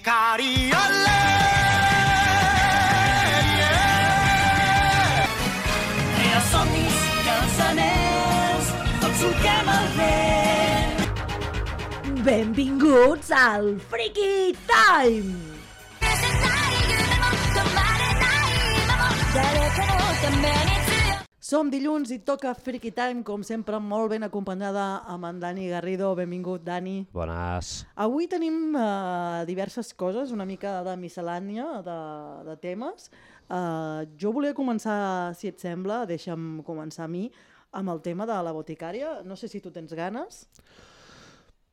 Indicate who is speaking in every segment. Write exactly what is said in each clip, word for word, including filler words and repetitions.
Speaker 1: Ikari, olé!
Speaker 2: Crea somnis, cançoners, tots solquem el vent.
Speaker 3: Benvinguts al Freaky Time! Som dilluns i toca Freaky Time, com sempre, molt ben acompanyada amb en Dani Garrido. Benvingut, Dani.
Speaker 4: Bones.
Speaker 3: Avui tenim uh, diverses coses, una mica de miscel·lània, de, de temes. Uh, jo volia començar, si et sembla, deixa'm començar a mi, amb el tema de la boticària. No sé si tu tens ganes.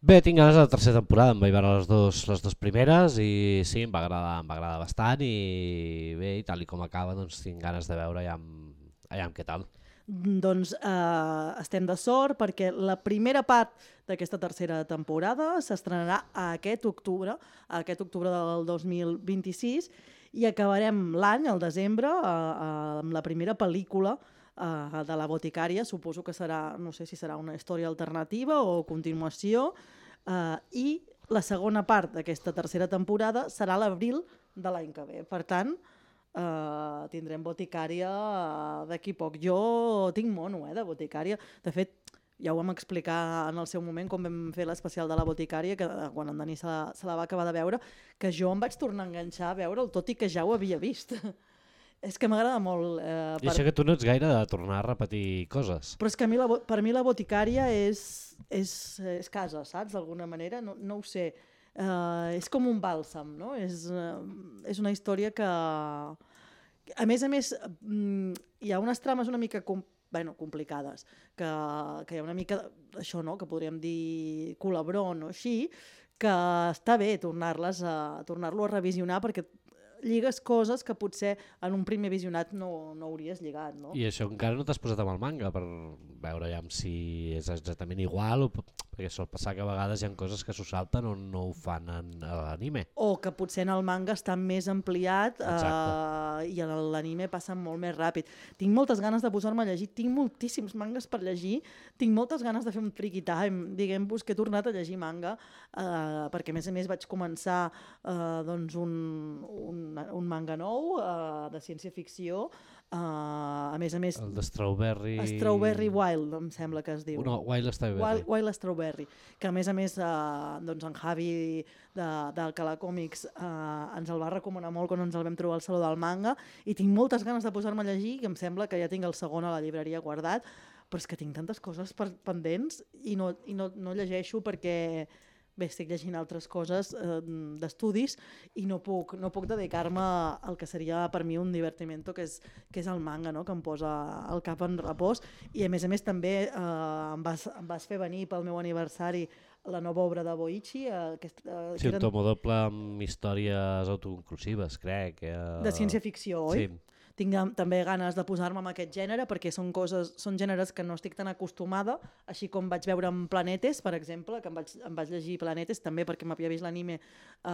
Speaker 4: Bé, tinc ganes de la tercera temporada, em vaig veure les dos, les dos primeres i sí, em va agradar, em va agradar bastant i bé, i tal i com acaba, doncs tinc ganes de veure ja amb Allà, què tal?
Speaker 3: Doncs eh, estem de sort perquè la primera part d'aquesta tercera temporada s'estrenarà aquest octubre, aquest octubre del dos mil vint-i-sis, i acabarem l'any, al desembre, eh, eh, amb la primera pel·lícula eh, de la boticària. Suposo que serà, no sé si serà una història alternativa o continuació, eh, i la segona part d'aquesta tercera temporada serà l'abril de l'any que ve. Per tant, Uh, tindrem boticària uh, d'aquí poc. Jo tinc mono eh, de boticària. De fet, ja ho vam explicar en el seu moment quan vam fer l'especial de la boticària, que uh, quan en Dani se la, se la va acabar de veure, que jo em vaig tornar a enganxar a veure'l, tot i que ja ho havia vist. És que m'agrada molt. Eh,
Speaker 4: per... I això que tu no ets gaire de tornar a repetir coses.
Speaker 3: Però és que a mi la, per mi la boticària és, és, és casa, saps? D'alguna manera, no, no ho sé. Uh, és com un bàlsam, no? És, uh, és una història que, a més a més, um, hi ha unes trames una mica com, bueno, complicades, que, que hi ha una mica això, no? Que podríem dir culebron o així, que està bé tornar-les a, tornar-lo a revisionar perquè lligues coses que potser en un primer visionat no, no hauries lligat, no?
Speaker 4: I això encara no t'has posat amb el manga per veure ja si és exactament igual, o, perquè sol passar que a vegades hi ha coses que s'ho salten o no ho fan en, a l'anime.
Speaker 3: O que potser en el manga està més ampliat eh, i en l'anime passa molt més ràpid. Tinc moltes ganes de posar-me a llegir, tinc moltíssims mangas per llegir, tinc moltes ganes de fer un Freaky Time, diguem-vos que he tornat a llegir manga, eh, perquè a més a més vaig començar eh, doncs un, un un manga nou uh, de ciència-ficció, uh, a més a més...
Speaker 4: El de Strawberry...
Speaker 3: Strawberry Wild, em sembla que es diu.
Speaker 4: No, Wild Strawberry.
Speaker 3: Wild, Wild Strawberry, que a més a més uh, doncs en Javi de, d'Alcalá Comics uh, ens el va recomanar molt quan ens el vam trobar al Saló del Manga, i tinc moltes ganes de posar-me a llegir, que em sembla que ja tinc el segon a la llibreria guardat, però és que tinc tantes coses per, pendents i, no, i no, no llegeixo perquè... Bé, estic llegint altres coses eh, d'estudis i no puc, no puc dedicar-me al que seria per mi un divertimento, que és, que és el manga, no? Que em posa el cap en repòs. I a més a més també eh, em, vas, em vas fer venir pel meu aniversari la nova obra de Boichi. Eh, que, eh,
Speaker 4: sí, un eren... tomo doble amb històries autoconclusives, crec. Eh...
Speaker 3: De ciència-ficció, oi?
Speaker 4: Sí.
Speaker 3: Tinc també ganes de posar-me en aquest gènere perquè són coses, són gèneres que no estic tan acostumada, així com vaig veure en Planetes, per exemple, que em vaig, em vaig llegir Planetes també perquè m'havia vist l'anime eh,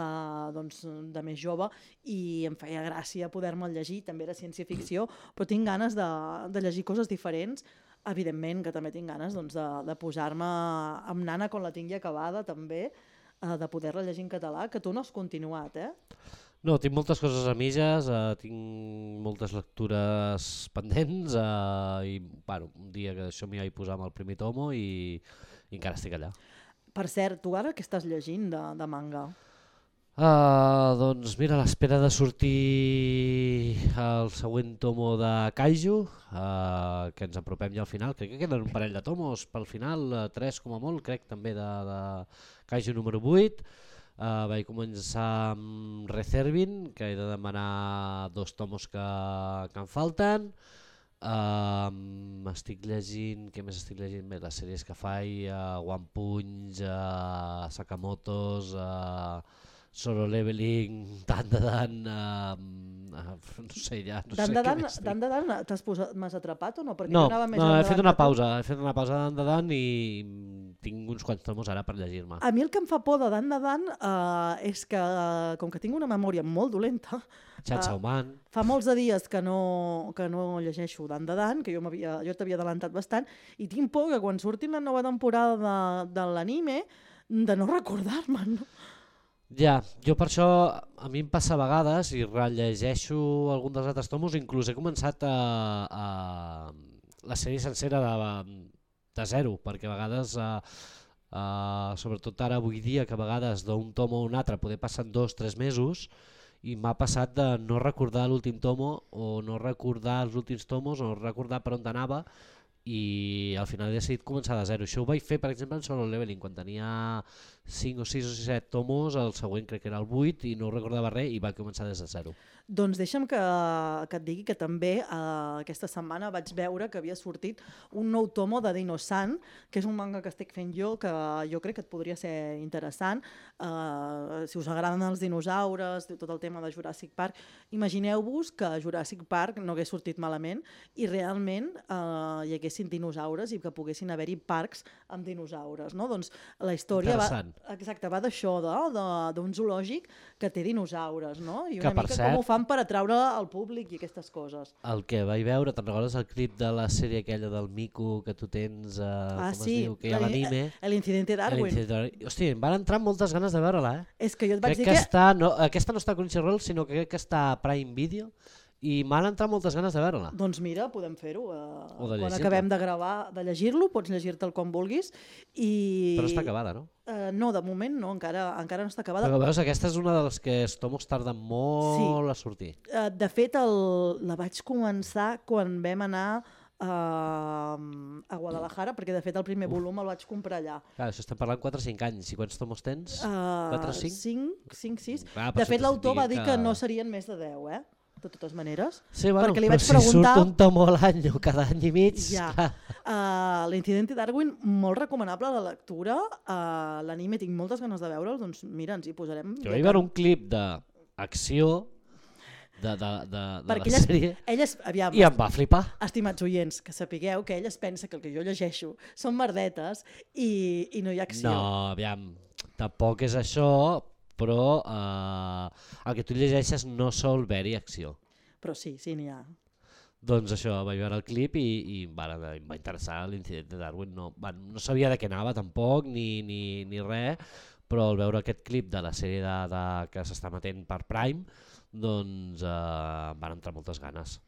Speaker 3: doncs, de més jove i em feia gràcia poder-me'l llegir, també era ciència-ficció, però tinc ganes de, de llegir coses diferents. Evidentment que també tinc ganes doncs, de, de posar-me amb Nana quan la tingui acabada també, eh, de poder-la llegir en català, que tu no has continuat, eh?
Speaker 4: No, tinc moltes coses a mitges, uh, tinc moltes lectures pendents uh, i bueno, un dia que això m'hi vaig posar amb el primer tomo i, i encara estic allà.
Speaker 3: Per cert, tu ara què estàs llegint de, de manga?
Speaker 4: Uh, doncs mira, a l'espera de sortir el següent tomo de Kaiju, uh, que ens apropem ja al final, crec que queden un parell de tomos pel final, uh, tres com a molt, crec també de, de Kaiju número vuit. Uh, vaig començar amb Reservin, que he de demanar dos tomos que, que em falten. Uh, estic llegint, què més estic llegint? Bé, les sèries que faig, uh, One Punch, uh, Sakamotos, uh, Solo Leveling, Dan de Dan, uh, uh, no sé ja, no
Speaker 3: Dan
Speaker 4: sé
Speaker 3: de
Speaker 4: què
Speaker 3: Dan,
Speaker 4: més
Speaker 3: Dan de Dan, t'has posat, m'has atrapat o no? Perquè
Speaker 4: no,
Speaker 3: jo anava més
Speaker 4: no, he fet una
Speaker 3: que
Speaker 4: pausa, he fet una pausa de Dan de Dan i tinc uns quants tomos ara per llegir-me.
Speaker 3: A mi el que em fa por de Dan de Dan uh, és que, uh, com que tinc una memòria molt dolenta,
Speaker 4: Chainsaw uh, Man.
Speaker 3: Fa molts de dies que no, que no llegeixo Dan de Dan, que jo, jo t'havia adelantat bastant, i tinc por que quan surti la nova temporada de, de l'anime, de no recordar-me'n. No?
Speaker 4: Ja, jo per això a mi em passa a vegades i rellegeixo algun dels altres tomos, inclús he començat a, a la sèrie sencera de, de zero, perquè a vegades, uh, uh, sobretot ara avui dia, que a vegades d'un tomo a un altre poder passar dos o tres mesos, i m'ha passat de no recordar l'últim tomo o no recordar els últims tomos o no recordar per on anava, i al final he decidit començar de zero. Això ho vaig fer, per exemple, en Solo Leveling, quan tenia cinc o sis o set tomos, el següent crec que era el vuit, i no recordava res i va començar des de zero.
Speaker 3: Doncs deixa'm que, que et digui que també eh, aquesta setmana vaig veure que havia sortit un nou tomo de Dino-san, que és un manga que estic fent jo, que jo crec que et podria ser interessant. Eh, si us agraden els dinosaures, tot el tema de Jurassic Park, imagineu-vos que Jurassic Park no hagués sortit malament i realment eh, hi haguessin dinosaures i que poguessin haver-hi parcs amb dinosaures. No? Doncs la història va, exacte, va d'això, d'un zoològic que té dinosaures, no? I una
Speaker 4: que,
Speaker 3: mica
Speaker 4: cert,
Speaker 3: com ho fan per atraure al públic i aquestes coses.
Speaker 4: El que vaig veure, te'n recordes el clip de la sèrie aquella del Mico que tu tens, eh,
Speaker 3: ah,
Speaker 4: com
Speaker 3: sí,
Speaker 4: es diu, que hi ha l'anime?
Speaker 3: L'Incidente Darwin.
Speaker 4: Hòstia, em van entrar moltes ganes de veure-la, eh?
Speaker 3: És que jo et vaig
Speaker 4: crec
Speaker 3: dir
Speaker 4: que...
Speaker 3: que...
Speaker 4: Està, no, aquesta no està a Crunchyroll, sinó que crec que està a Prime Video, i m'han entrat moltes ganes de veure-la.
Speaker 3: Doncs mira, podem fer-ho. Eh,
Speaker 4: quan
Speaker 3: acabem de gravar, de llegir-lo, pots llegir-te'l com vulguis. I...
Speaker 4: Però està acabada, no?
Speaker 3: Uh, no, de moment no, encara, encara no està acabada.
Speaker 4: Però veus, aquesta és una de les que els tomos tarden molt sí. a sortir.
Speaker 3: Uh, de fet, el, la vaig començar quan vam anar uh, a Guadalajara, perquè de fet el primer
Speaker 4: Uf.
Speaker 3: volum el vaig comprar allà.
Speaker 4: Clar, això estem parlant quatre o cinc anys. I quants tomos tens?
Speaker 3: Uh,
Speaker 4: quatre o cinc?
Speaker 3: cinc, cinc, sis.
Speaker 4: Clar,
Speaker 3: de fet, l'autor va dir
Speaker 4: que...
Speaker 3: que no serien més de deu, eh? De totes maneres.
Speaker 4: Sí, bueno,
Speaker 3: perquè li
Speaker 4: però
Speaker 3: vaig
Speaker 4: si
Speaker 3: preguntar...
Speaker 4: surt un tomo a l'any o cada any i mig...
Speaker 3: Ja. Uh, L'Incidente Darwin, molt recomanable la lectura. Uh, L'anime tinc moltes ganes de veure'l, doncs mira, ens hi posarem.
Speaker 4: Jo vaig veure un clip d'acció de, de, de, de la
Speaker 3: elles,
Speaker 4: sèrie
Speaker 3: elles, aviam,
Speaker 4: i em va flipar.
Speaker 3: Estimats oients, que sapigueu que ell es pensa que el que jo llegeixo són merdetes i, i no hi ha acció.
Speaker 4: No, aviam, tampoc és això, però eh, el que tu llegeixes no sol haver-hi acció.
Speaker 3: Però sí, sí n'hi ha.
Speaker 4: Doncs això, vaig veure el clip i, i va, em va interessar l'Incident de Darwin. No, va, no sabia de què anava tampoc, ni, ni, ni res, però al veure aquest clip de la sèrie de, de, que s'està emetent per Prime, doncs eh, van entrar moltes ganes.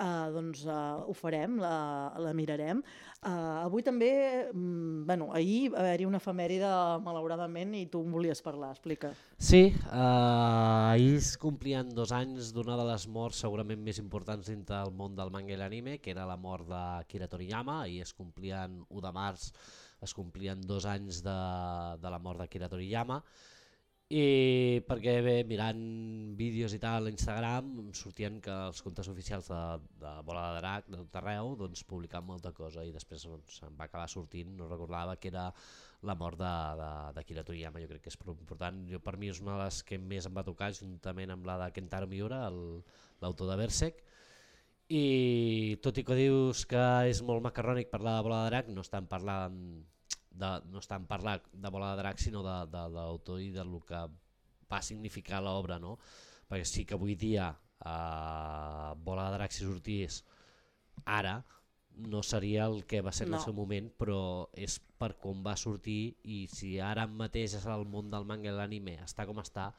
Speaker 3: Uh, doncs uh, ho farem, la, la mirarem. Uh, avui també, mm, bueno, ahir va haver-hi una efemèride malauradament i tu em volies parlar, explica.
Speaker 4: Sí, uh, ahir es complien dos anys d'una de les morts segurament més importants dintre del món del manga i l'anime, que era la mort d'Akira Toriyama, i es complien u de març, es complien dos anys de, de la mort d'Akira Toriyama. I perquè bé, mirant vídeos i tal a Instagram em sortien que els comptes oficials de, de Bola de Drac de tot arreu doncs, publicaven molta cosa i després doncs, em va acabar sortint, no recordava que era la mort d'Akira Toriyama. Jo crec que és prou important. Jo, per mi és una de les que més em va tocar juntament amb la de Kentaro Miura, l'autor de Berserk, i tot i que dius que és molt macarrònic parlar de Bola de Drac, no estan parlant De, no estan parlant de Bola de Drac sinó de, de, de l'autor i del que va significar l'obra, no? Perquè sí que avui dia eh, Bola de Drac si sortís ara no seria el que va ser en no. el seu moment, però és per com va sortir i si ara mateix és el món del manga i l'anime està com està,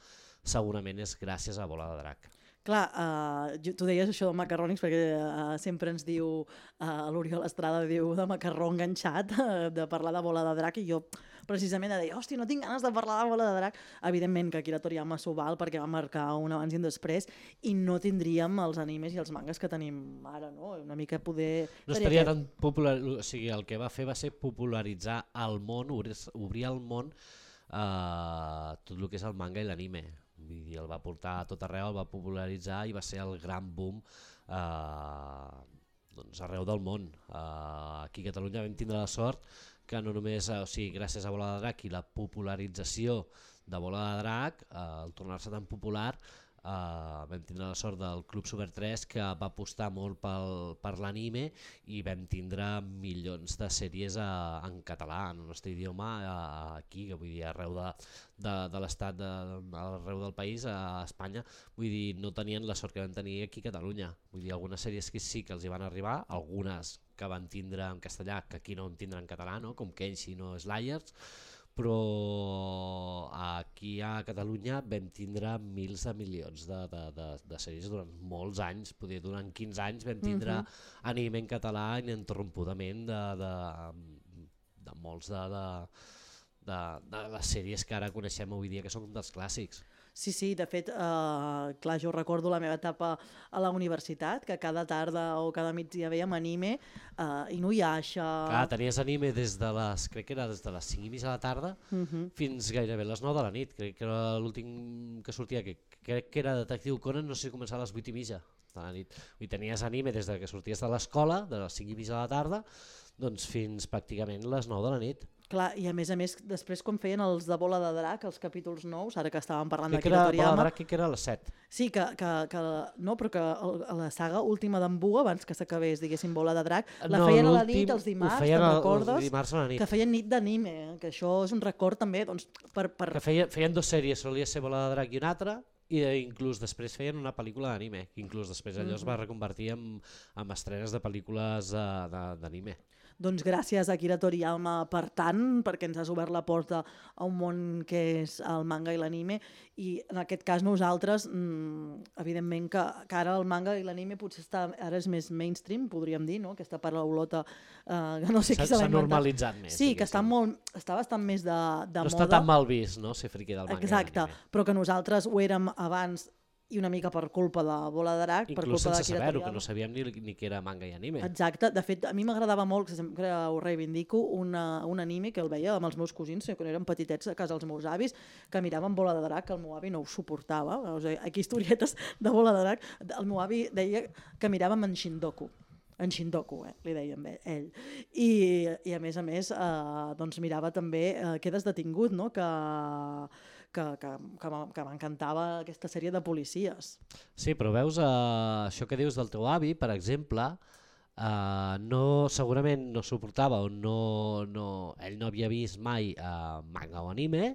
Speaker 4: segurament és gràcies a Bola de Drac.
Speaker 3: Clar, uh, tu deies això de macarrònics perquè uh, sempre ens diu, uh, l'Oriol Estrada diu de macarró enganxat, uh, de parlar de Bola de Drac, i jo precisament de dir, hòstia, no tinc ganes de parlar de Bola de Drac. Evidentment que Akira Toriyama s'ho val perquè va marcar un abans i un després i no tindríem els animes i els mangas que tenim ara, no? Una mica poder...
Speaker 4: No estaria tan popular, o sigui, el que va fer va ser popularitzar el món, obrir, obrir el món uh, tot el que és el manga i l'anime. Vull dir, el va portar a tot arreu, el va popularitzar i va ser el gran boom eh, doncs arreu del món. Eh, aquí a Catalunya vam tindre la sort que no només, o sigui, gràcies a Bola de Drac i la popularització de Bola de Drac, eh, el tornar-se tan popular, Uh, vam tindre la sort del Club Super tres que va apostar molt pel, per l'anime i vam tindre milions de sèries uh, en català, en el nostre idioma, uh, aquí, que vull dir, arreu de, de, de l'estat, de, arreu del país, a Espanya, vull dir, no tenien la sort que van tenir aquí a Catalunya. Vull dir, algunes sèries que sí que els hi van arribar, algunes que van tindre en castellà, que aquí no en tindran en català, no? Com Kenshi no Slayers, però aquí a Catalunya vam tindre mils de milions de, de, de, de sèries durant molts anys, poder durant quinze anys vam tindre uh -huh. anime en català ininterrompudament de, de, de molts de, de, de, de les sèries que ara coneixem avui dia, que són dels clàssics.
Speaker 3: Sí, sí, de fet, eh, clar, jo recordo la meva etapa a la universitat, que cada tarda o cada migdia veiem anime, eh, Inuyasha...
Speaker 4: Clar, tenies anime des de les, crec que era des de les cinc i mitja de la tarda uh -huh. fins gairebé les nou de la nit, crec que era l'últim que sortia, que crec que era Detectiu Conan, no sé si començava a les vuit i mitja de la nit. I tenies anime des de que sorties de l'escola, de les cinc i mitja de la tarda, doncs fins pràcticament les nou de la nit.
Speaker 3: Clar, i a més a més, després com feien els de Bola de Drac, els capítols nous, ara que estàvem parlant
Speaker 4: d'Akira
Speaker 3: Toriyama...
Speaker 4: Bola de Drac, que era a les set.
Speaker 3: Sí, que, que, que, no, però que el, la saga última d'en Buu, abans que s'acabés, diguéssim, Bola de Drac, la no, feien a la nit, els dimarts, te'n recordes?
Speaker 4: Dimarts a la nit.
Speaker 3: Que feien nit d'anime, que això és un record també, doncs, per... per...
Speaker 4: Que feien, feien dues sèries, solia ser Bola de Drac i una altra, i inclús després feien una pel·lícula d'anime, que inclús després allò es va reconvertir en, en estrenes de pel·lícules uh, d'anime.
Speaker 3: Doncs gràcies a Akira Toriyama per tant, perquè ens has obert la porta a un món que és el manga i l'anime, i en aquest cas nosaltres, mmm, evidentment que, que ara el manga i l'anime potser està, ara és més mainstream, podríem dir, no? Aquesta paraulota eh, que no sé qui se l'ha
Speaker 4: inventat. S'ha normalitzat més.
Speaker 3: Sí, que està, molt, està bastant més de, de
Speaker 4: no
Speaker 3: moda.
Speaker 4: No està tan mal vist, no?, ser friqui del manga.
Speaker 3: Exacte, i l'anime. Però que nosaltres ho érem abans i una mica per culpa de Bola de Drac, per
Speaker 4: inclús
Speaker 3: culpa
Speaker 4: sense
Speaker 3: d'Akira
Speaker 4: saber-ho,
Speaker 3: Toriyama.
Speaker 4: que no sabíem ni, ni què era manga i anime.
Speaker 3: Exacte, de fet a mi m'agradava molt, que sempre ho reivindico, una, un anime que el veia amb els meus cosins, quan eren petitets a casa dels meus avis, que miraven Bola de Drac, que el meu avi no ho suportava, o sigui, aquí historietes de Bola de Drac, el meu avi deia que miràvem en Shindoku, en Shindoku, eh, li dèiem ell. I, i a més a més, eh, doncs mirava també eh, Quedes detingut, no?, que... que, que, que m'encantava aquesta sèrie de policies.
Speaker 4: Sí, però veus, eh, això que dius del teu avi, per exemple, eh, no, segurament no suportava o no, no, ell no havia vist mai eh, manga o anime,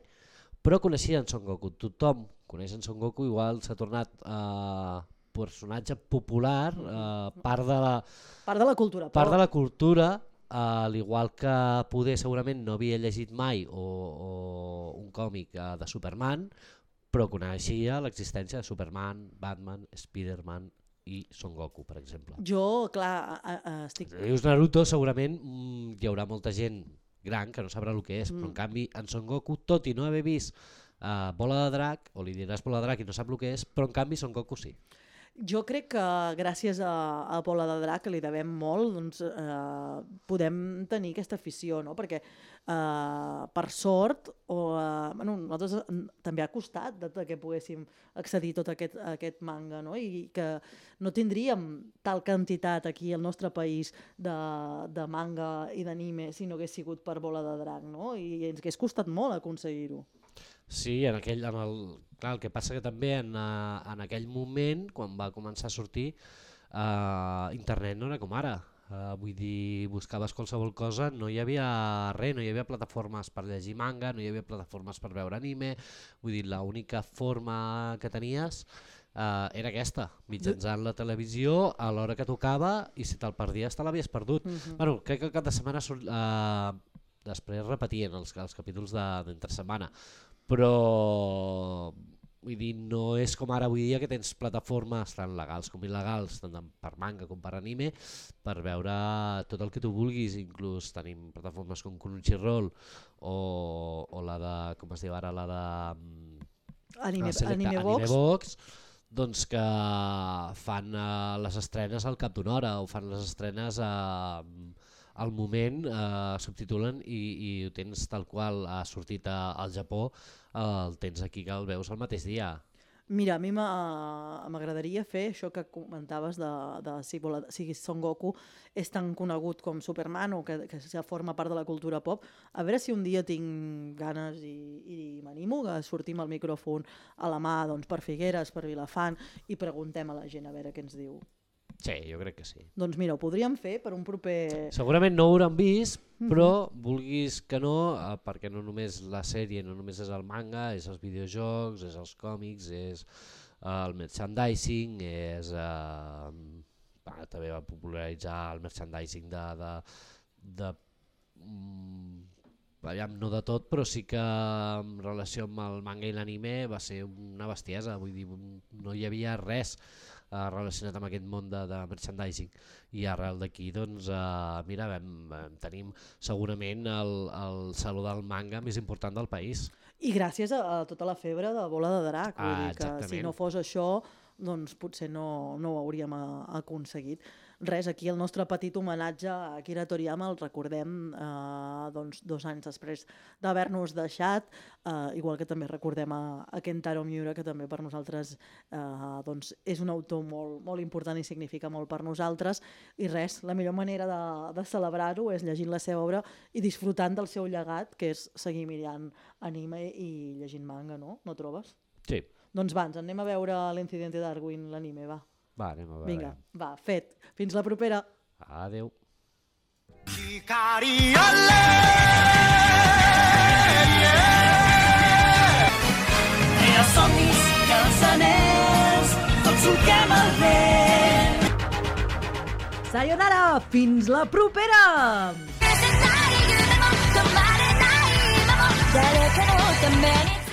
Speaker 4: però coneixia en Son Goku. Tothom coneix en Son Goku, igual s'ha tornat eh, personatge popular, eh, part de la,
Speaker 3: part de la cultura.
Speaker 4: Part de la cultura, al igual que poder segurament no havia llegit mai o, o un còmic uh, de Superman, però coneixia l'existència de Superman, Batman, Spiderman i Son Goku, per exemple.
Speaker 3: Jo, clar, a, a, estic...
Speaker 4: Si dius Naruto, segurament mm, hi haurà molta gent gran que no sabrà el que és, mm. però en canvi en Son Goku, tot i no haver vist uh, Bola de Drac, o li diràs Bola de Drac i no sap el que és, però en canvi Son Goku sí.
Speaker 3: Jo crec que gràcies a, a Bola de Drac, que li devem molt, doncs, eh, podem tenir aquesta afició, no? Perquè eh, per sort, o, eh, bueno, nosaltres també ha costat de, de que poguéssim accedir a tot aquest, a aquest manga, no? I que no tindríem tal quantitat aquí al nostre país de, de manga i d'anime si no hagués sigut per Bola de Drac, no? I ens hagués costat molt aconseguir-ho.
Speaker 4: Sí, en aquell, en el, clar, el que passa que també en, uh, en aquell moment, quan va començar a sortir, uh, internet no era com ara. Uh, vull dir, buscaves qualsevol cosa, no hi havia res, no hi havia plataformes per llegir manga, no hi havia plataformes per veure anime, vull dir, l'única forma que tenies uh, era aquesta, mitjançant la televisió a l'hora que tocava, i si te'l perdies te l'havies perdut. Uh-huh. Bueno, crec que cada setmana surt, uh, després repetien els, els capítols d'entre setmana, però vull dir, no és com ara avui dia que tens plataformes tan legals com il·legals, tant per manga com per anime, per veure tot el que tu vulguis. Inclús tenim plataformes com Crunchyroll o, o la de, com es diu ara, la de
Speaker 3: Anime,
Speaker 4: Selecta,
Speaker 3: Anime Box,
Speaker 4: Anime Box, doncs que fan uh, les estrenes al cap d'una hora o fan les estrenes a... Uh, al moment eh, subtitulen i, i ho tens tal qual ha sortit a, al Japó, eh, el tens aquí que el veus el mateix dia.
Speaker 3: Mira, a mi m'agradaria fer això que comentaves de, de si, si Son Goku és tan conegut com Superman o que, que ja forma part de la cultura pop. A veure si un dia tinc ganes i, i m'animo a sortir amb el micròfon a la mà, doncs, per Figueres, per Vilafant, i preguntem a la gent a veure què ens diu.
Speaker 4: Sí, jo crec que sí.
Speaker 3: Doncs mira, ho podríem fer per un proper...
Speaker 4: Segurament no ho hauran vist, però mm-hmm. vulguis que no, eh, perquè no només la sèrie, no només és el manga, és els videojocs, és els còmics, és eh, el merchandising, és, eh, va, també va popularitzar el merchandising de, de, de mm, aviam, no de tot, però sí que en relació amb el manga i l'anime va ser una bestiesa, vull dir, no hi havia res eh, relacionat amb aquest món de, de merchandising, i arrel d'aquí doncs, eh, mira, vam, vam, tenim segurament el, el saló del manga més important del país.
Speaker 3: I gràcies a, a tota la febre de Bola de Drac, vull
Speaker 4: Ah,
Speaker 3: dir que
Speaker 4: exactament.
Speaker 3: si no fos això, doncs potser no, no ho hauríem a, aconseguit. Res, aquí el nostre petit homenatge a Akira Toriyama el recordem eh, doncs, dos anys després d'haver-nos deixat, eh, igual que també recordem a, a Kentaro Miura, que també per nosaltres eh, doncs, és un autor molt, molt important i significa molt per nosaltres, i res, la millor manera de, de celebrar-ho és llegint la seva obra i disfrutant del seu llegat, que és seguir mirant anime i llegint manga, no? No trobes?
Speaker 4: Sí.
Speaker 3: Doncs va, ens anem a veure l'Incidente Darwin, l'anime, va.
Speaker 4: Va, anem a veure.
Speaker 3: Vinga, va, fet. Fins la propera.
Speaker 4: Adéu.
Speaker 2: Era somnis i els anells, tots solquem el vent.
Speaker 3: Sayonara, fins la propera!
Speaker 1: 止まれない今も誰かのために